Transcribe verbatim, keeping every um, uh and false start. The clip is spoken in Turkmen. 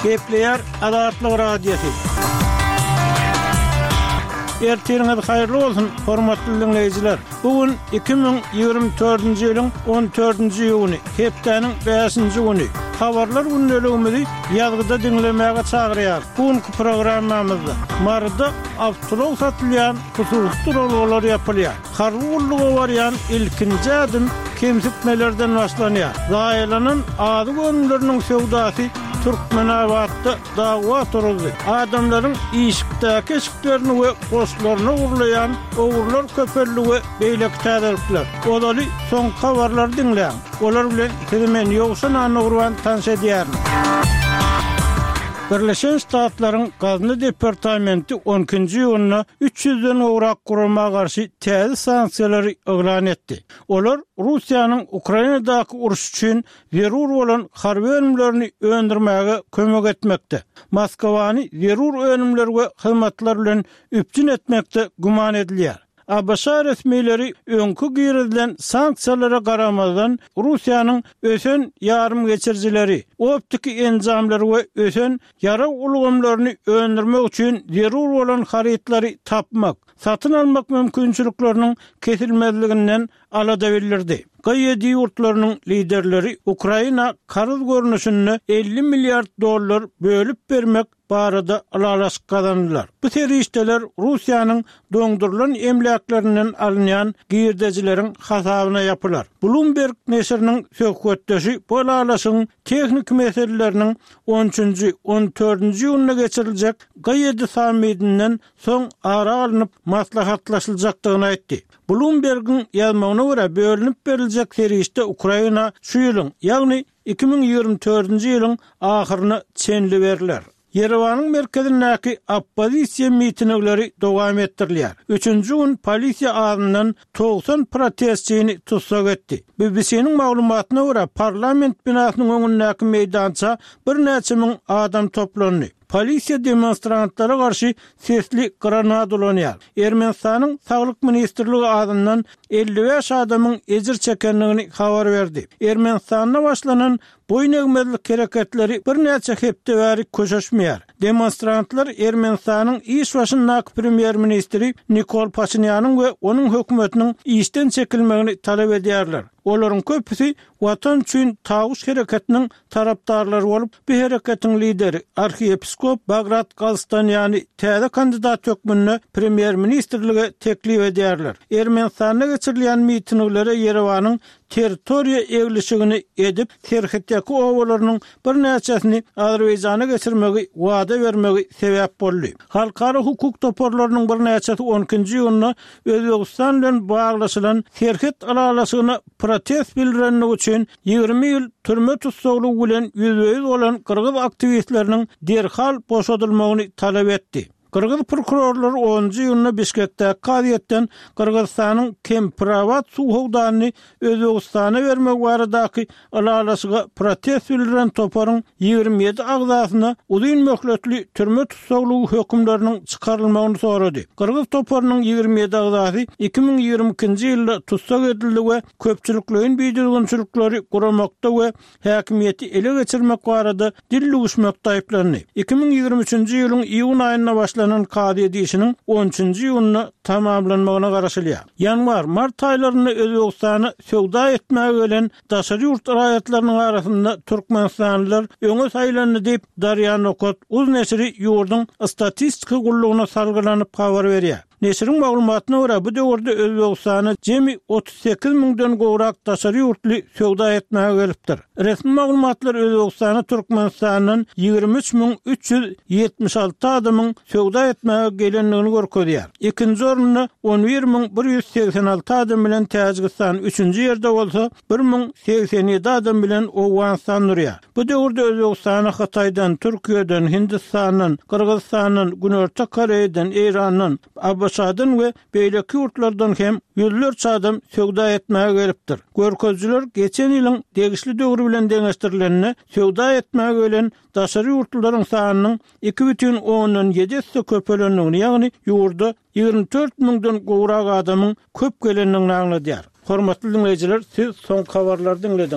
Gepleýär Azatlyk Radiosy. Ertiriňiz haýyrly bolsun, hormatly diňleýjiler. Bu gün iki müň ýigrimi dördünji ýylyň on dördünji iýuny, hepdäniň bäşinji güni. Habarlar gündeligimizi ýazgyda diňlemäge çagyrýarys. Bu günki programmamyzda Maryda awtoulag satylýan hususy duralgalar ýapylýar. Harby gulluga barýan ilkinji ädim kemsitmelerden başlanýar. Zaýalanan azyk önümleriniň söwdasy Türkmenabatda dawa turuzdy. Adamlaryň işikdäki eşiklerini we goşlaryny ogurlaýan ogrular köpeldi we beýleki täzelikler. Ozaly soňky habarlary diňläň. Olar bilen sizi men Ýowşan Annagurban tanyş edýärin. Birleşen Ştatlaryň Gazna departamenti on ikinji iýunda üç ýüzden gowrak gurama garşy täze sanksiýalary yglan etdi. Olar Russiýanyň Ukrainadaky uruş üçin zerur bolan harby önümlerini öndürmäge kömek etmekde, Moskwany zerur önümler we hyzmatlar bilen üpjün etmekde güman edilýär. A B Ş resmileri öňki girizilen sanksiýalara garamazdan Russiýanyň ösen ýarymgeçirijileri, optiki enjamlary we ösen ýarag ulgamlaryny öndürmek üçin zerur bolan harytlary tapmak, satyn almak mümkinçilikleriniň kesilmezliginden alada bildirdi. G ýedi ýurtlarynyň liderleri Ukraina karz görnüşinde elli milliard dollar bölüp bermek barada ylalaşyk gazandylar. Bu serişdeler Russiýanyň doňdurylan emläklerinden alynýan girdejileriň hasabyna ýapylar. Bloomberg neşiriniň söhbetdeşi bu ylalaşygyň tehniki meseleleriniň on üçünji, on dördünji iýunda geçiriljek G ýedi sammitinden soň ara alnyp maslahatlaşyljakdygyny aýtdy. Bloombergiň ýazmagyna görä bölünip beriljek serişde Ukraina şu ýylyň, ýagny iki müň ýigrimi dördünji ýylyň ahyryna çenli beriler. Ýerewanyň merkezindäki oppozisiýa mitingleri dowam etdirilýär. Üçünji gün polisiýa azyndan togsan protestçini tussag etdi. B B C-niň maglumatyna görä parlament binasynyň öňündäki meýdança birnäçe müň adam toplandy. Polisiýa demonstrantlara garşy sesli granat ulanýar. Ermenistanyň Saglyk ministrligi azyndan elli bäş adamyň ejir çekendigini habar berdi. Ermenistanda başlanan boýun egmezlik hereketleri birnäçe hepde bäri köşeşmeýär. Demonstrantlar Ermenistanyň iş başyndaky premýer-ministri Nikol Paşinýanyň we onuň hökümetiniň işden çekilmegini talap edýärler. Olaryň köpüsi Watan üçin tawuş hereketiniň tarapdarlary bolup, bu hereketiň lideri arhiýepiskop Bagrat Galstanýany täze kandidat hökmünde premýer-ministrlige teklip edýärler. Ermenistanda geçirilýän mitinglere Ýerewanyň territoriýa eglişigini edip, serhetdäki obalarynyň birnäçesini Azerbaýjana geçirmegi wada bermegi sebäp boldy. Halkara hukuk toparlarynyň birnäçesi on ikinji iýunda Özbegistan bilen baglaşylan serhet ylalaşygyna protest bildirenligi üçin ýigrimi ýyl türme tussaglygy bilen ýüzbe-ýüz bolan gyrgyz aktiwistleriniň derhal boşadylmagyny talap etdi. Gyrgyz prokurorlary onunjy iýunda Bişkekdäki kazyýetden Gyrgyzystanyň Kempirabat suw howdanyny Özbegistana bermek baradaky ylalaşyga protest bildiren toparyň ýigrimi ýedi agzasyna uzyn möhletli türme tussaglygy hökümleriniň çykarylmagyny sorady. Gyrgyz toparynyň ýigrimi ýedi agzasy iki müň ýigrimi ikinji ýylda tussag edildi we köpçülikleýin bidüzgünçilikleri guramakda we häkimiýeti ele geçirmek barada dil lüwüşmekde aýyplandy. Iki müň ýigrimi üçünji ýylyň iýun aýynda başlanan kazyýet işiniň on üçünji iýunda tamamlanmagyna garaşylýar. Ýanwar, mart aýlarynda Özbegistana söwda etmäge gelen daşary ýurt raýatlarynyň arasynda türkmenistanlylar öňe saýlandy diýip, Darýa Nokat uz neşiri ýurduň statistika gullugyna salgylanyp habar berýär. Neşiriň maglumatyna görä bu döwürde Özbegistana jemi otuz sekiz müňden gowrak daşary ýurtly söwda etmäge gelipdir. Resmi maglumatlar Özbegistana Türkmenistandan ýigrimi üç müň üç ýüz ýetmiş alty adamyň söwda etmäge gelendigini görkezýär. Ikinji orunda on bir müň bir ýüz segsen alty adam bilen Täjigistan, üçünji ýerde bolsa bir müň segsen ýedi adam bilen Owganystan durýar. Bu döwürde Özbegistana Hytaýdan, Türkiýeden, Hindistandan, Gyrgyzystandan, Günorta Koreýadan, Eýrandan, A B Ş-dan we beýleki ýurtlardan hem ýüzlerçe adam söwda etmäge gelipdir. Görkezijiler geçen ýylyň degişli döwri bilen deňeşdirilende söwda etmäge gelen daşary ýurtlylaryň sanynyň iki bütin ondan ýedi esse köpelendigini, ýagny ýurda ýigrimi dört müňden gowrak adamyň köp gelendigini aňladýar. Hormatly diňleýjiler, siz soňky habarlary diňlediňiz.